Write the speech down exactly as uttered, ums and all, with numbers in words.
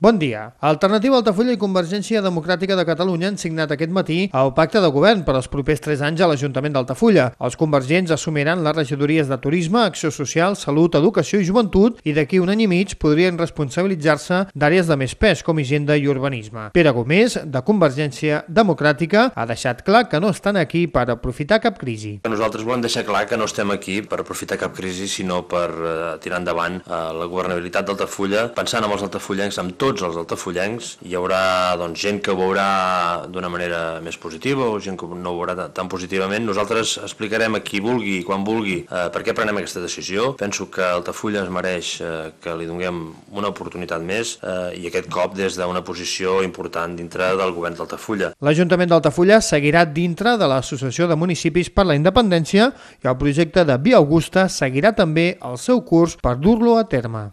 Bon dia. Alternativa Altafulla i Convergència Democràtica de Catalunya han signat aquest matí el pacte de govern per als propers tres anys a l'Ajuntament d'Altafulla. Els convergents assumiran les regidories de Turisme, Acció Social, Salut, Educació i Joventut i d'aquí un any i mig podrien responsabilitzar-se d'àrees de més pes com Hisenda i Urbanisme. Pere Gómez, de Convergència Democràtica, ha deixat clar que no estan aquí per aprofitar cap crisi. Nosaltres volem deixar clar que no estem aquí per aprofitar cap crisi, sinó per uh, tirar endavant uh, la governabilitat d'Altafulla, pensant en els altafullencs, amb tots els altafullencs. Hi haurà doncs, gent que ho veurà d'una manera més positiva o gent que no ho veurà tan positivament. Nosaltres explicarem a qui vulgui i quan vulgui eh, per què prenem aquesta decisió. Penso que Altafulla es mereix eh, que li donem una oportunitat més eh, i aquest cop des d'una posició important dintre del govern d'Altafulla. L'Ajuntament d'Altafulla seguirà dintre de l'Associació de Municipis per la Independència i el projecte de Via Augusta seguirà també el seu curs per dur-lo a terme.